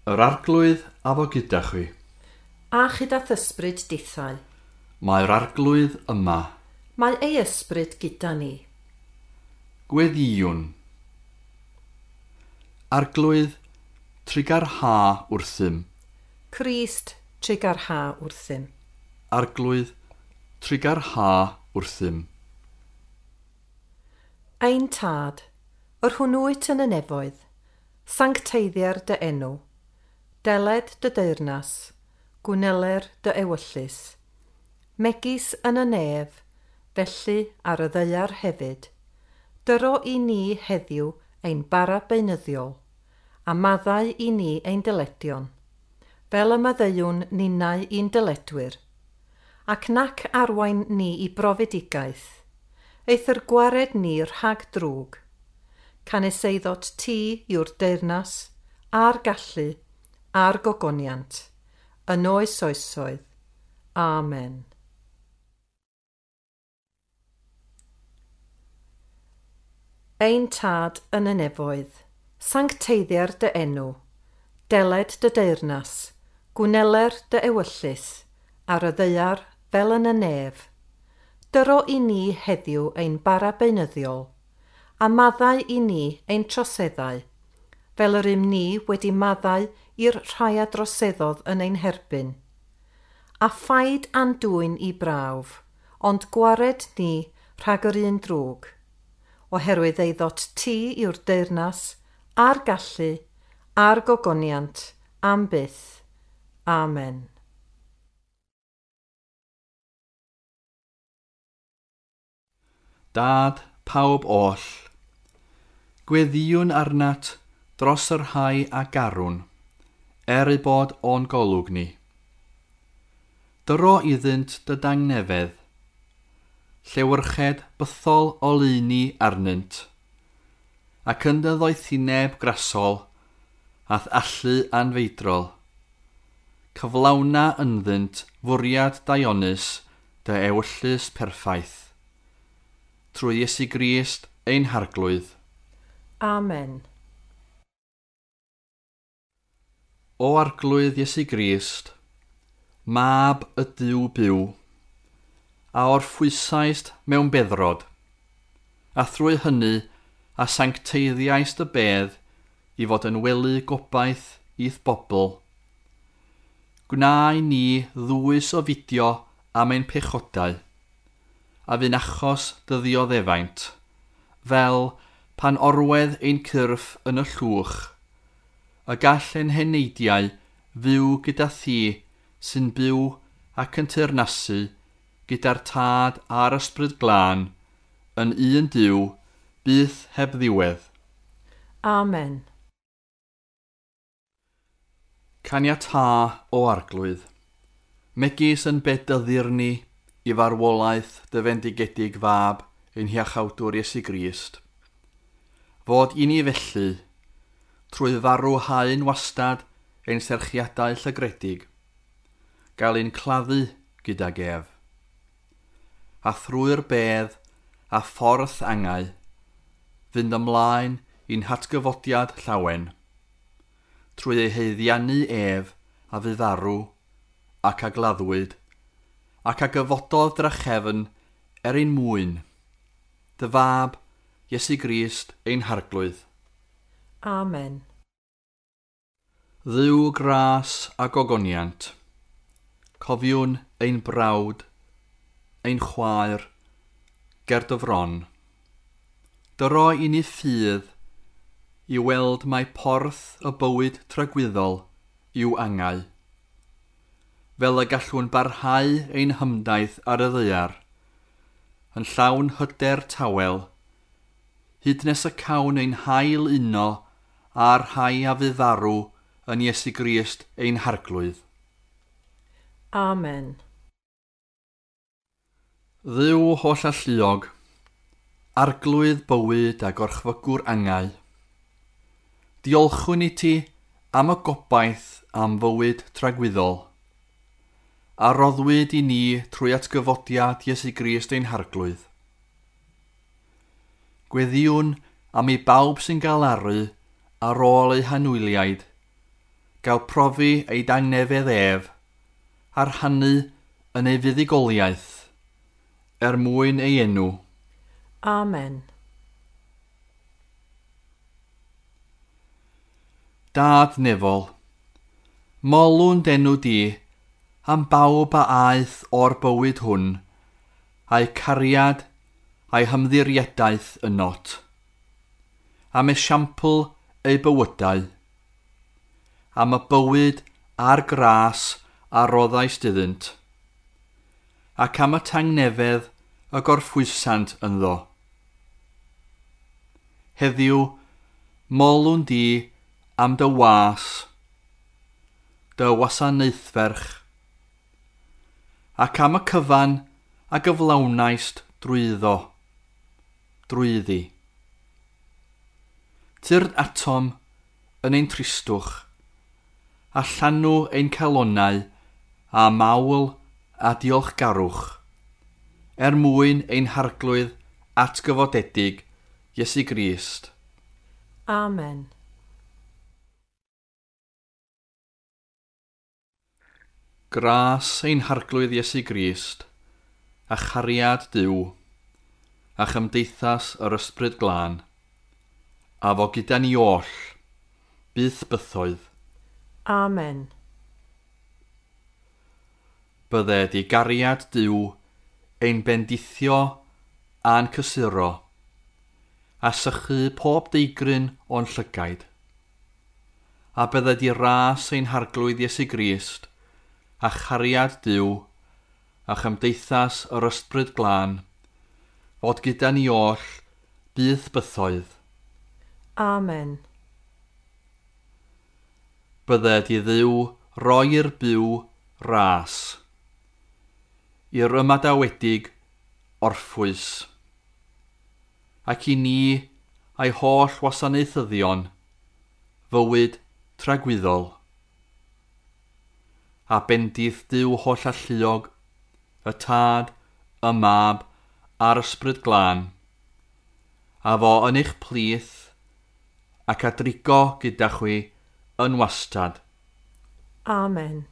Yr Arglwydd a fo gyda chwi. A chyda ysbryd dithau. Mae'r Arglwydd yma. Mae ei ysbryd gyda ni. Gweddïwn. Arglwydd, trugarha wrthym. Crist, trugarha wrthym. Arglwydd, trugarha wrthym. Ein Tad, yr hwn wyt yn y nefoedd, sancteiddier dy enw, deled dy deyrnas, gwneler dy ewyllys, megis yn y nef, felly ar y ddaear hefyd, dyro i ni heddiw ein bara beunyddiol, a maddau i ni ein dyledion, fel y maddeuwn ninnau i'n dyledwyr, ac nac arwain ni i brofedigaeth, eithr gwared ni rhag drwg, canys eiddot ti yw'r deyrnas, a'r gallu, a'r gogoniant, yn oes oesoedd. Amen. Ein Tad yn y nefoedd, sancteiddier dy enw, deled dy deyrnas, gwneler dy ewyllys, ar y ddaear fel yn y nef. Dyro i ni heddiw ein bara beunyddiol, a maddau i ni ein troseddau, fel yr ym ni wedi maddau i'r rhai a droseddodd yn ein herbyn. A phaid a'n dwyn i brawf, ond gwared ni rhag yr un drwg, oherwydd eiddot ti yw'r deyrnas, a'r gallu, a'r gogoniant, am byth. Amen. Dad, pawb oll, gweddïwn arnat dros y rhai a garwn, er eu bod o'n golwg ni. Dyro iddynt dy dangnefedd, llewyrched bythol oleuni arnynt, ac yn dy ddoethineb grasol, a'th allu anfeidrol. Cyflawna ynddynt fwriad daionus dy ewyllys perffaith. Trwy Iesu Grist ein Harglwydd. Amen. O Arglwydd Iesu Grist, Mab y Duw byw, a orffwysaist mewn beddrod, a thrwy hynny a sancteiddiaist y bedd i fod yn wely gobaith i'th bobl. Gwna i ni ddwys o fidio am ein pechodau, a fu'n achos dy ddioddefaint, fel pan orwedd ein cyrff yn y llwch, y gall ein heneidiau fyw gyda thi sy'n byw ac yn teyrnasu gyda'r Tad a'r Ysbryd Glân yn un Duw, byth heb ddiwedd. Amen. Caniatâ o Arglwydd, megis yn bedyddir ni i farwolaeth dy fendigedig fab ein hiachawdwr Iesu Grist, fod i ni felly, trwy farw haen wastad ein serchiadau llygredig, gael ein claddu gydag ef. A thrwy'r bedd a ffordd angau, fynd ymlaen i'n hatgyfodiad llawen, trwy ei haeddiannu ef a fu farw ac a gladdwyd, ac a gyfododd drachefn er ein mwyn, dy fab, Iesu Grist, ein Harglwydd. Amen. Dduw gras a gogoniant, cofiwn ein brawd, ein chwaer, ger dy fron. Dyro i ni ffydd i weld mai porth y bywyd tragwyddol yw angau, fel y gallwn barhau ein hymdaith ar y ddaear, yn llawn hyder tawel, hyd nes y cawn ein hail uno a'r rhai a fu farw yn Iesu Grist ein Harglwydd. Amen. Dduw holl alluog, Arglwydd bywyd a gorchfygwr angau, diolchwn i ti am y gobaith am fywyd tragwyddol, a roddwyd i ni trwy atgyfodiad Iesu Grist ein Harglwydd. Gweddïwn am i bawb sy'n galaru ar ôl eu hanwyliaid, gael profi ei dangnefedd ef, a rhannu yn ei fuddugoliaeth, er mwyn ei enw. Amen. Dad nefol, molwn d'enw di am bawb a aeth o'r bywyd hwn, a'i cariad a'i hymddiriedaeth ynot, am esiampl eu bywydau, am y bywyd a'r gras a roddaist iddynt, ac am y tangnefedd y gorffwysant ynddo. Heddiw, molwn di am dy was, dy wasanaethferch, ac am y cyfan a gyflawnaist drwyddo, drwyddi. Tyrd atom yn ein tristwch, a llanw ein calonnau a mawl a diolchgarwch, er mwyn ein harglwydd atgyfodedig Iesu Grist. Amen. Gras ein harglwydd Iesu Grist, a chariad Duw, a chymdeithas yr Ysbryd Glân, a fo gyda ni oll, byth bythoedd. Amen. Bydded i gariad Duw ein bendithio a'n cysuro, a sychu pob deigryn o'n llygaid. A bydded i ras ein harglwydd Iesu Grist, a chariad Duw, a chymdeithas yr Ysbryd Glân, fod gyda ni oll byth bythoedd. Amen. Bydded i Dduw roi i'r byw ras, i'r ymadawedig orffwys, ac i ni a'i holl wasanaethyddion fywyd tragwyddol. A bendith Duw holl alluog, y Tad, y Mab a'r Ysbryd Glân, a fo yn eich plith ac a drigo gyda chwi yn wastad. Amen.